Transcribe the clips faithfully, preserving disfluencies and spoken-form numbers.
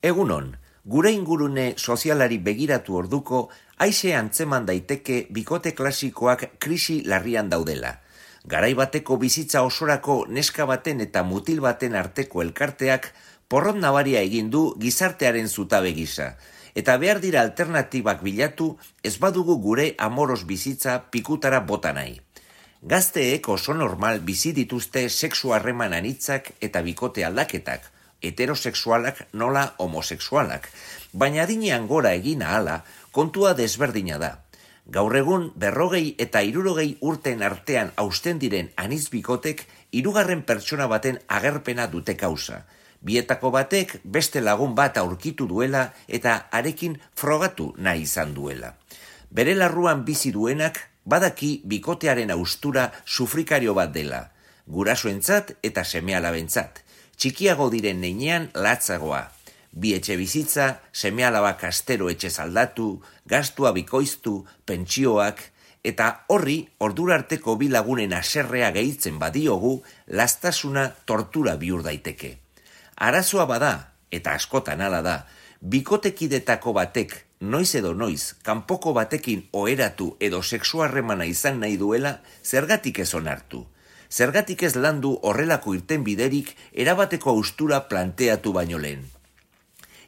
Egunon, gure ingurune sozialari begiratu orduko, aixe antzeman daiteke bikote klasikoak krisi larrian daudela. Garai bateko bizitza osorako neska baten eta mutil baten arteko elkarteak porrot nabaria egin du gizartearen zutabe gisa, eta behar dira alternatibak bilatu ez badugu gure amoros bizitza pikutara bota nahi. Gazteek oso normal bizi dituzte sexu harreman anitzak eta bikote aldaketak, heterosexualak nola homosexualak, baina adinean gora egin ahala kontua desberdina da. Gaur egun berrogei eta hirurogei urten artean hausten diren anitz bikotek hirugarren pertsona baten agerpena dute kausa. Bietako batek beste lagun bat aurkitu duela eta harekin frogatu nahi izan duela. Bere larruan bizi duenak badaki bikotearen austura sufrikario bat dela, gurasoentzat eta seme-alabentzat. Txikiago diren neinean latzagoa. Bi etxe bizitza, seme-alabak astero etxe aldatu, gastua bikoiztu, pentsioak, eta horri ordura arteko bi lagunen haserrea gehitzen badiogu, lastasuna tortura bihur daiteke. Arazoa bada, eta askotan hala da, bikotekidetako batek noiz edo noiz, kanpoko batekin oheratu edo sexu harremana izan nahi duela, zergatik ez onartu. Zergatik ez landu horrelako irtenbiderik erabateko austura planteatu baino lehen.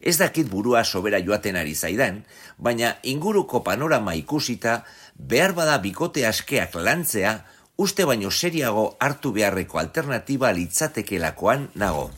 Ez dakit burua sobera joaten ari zaidan, baina inguruko panorama ikusita, behar bada bikote askeak lantzea, uste baino seriago hartu beharreko alternatiba litzatekelakoan nago.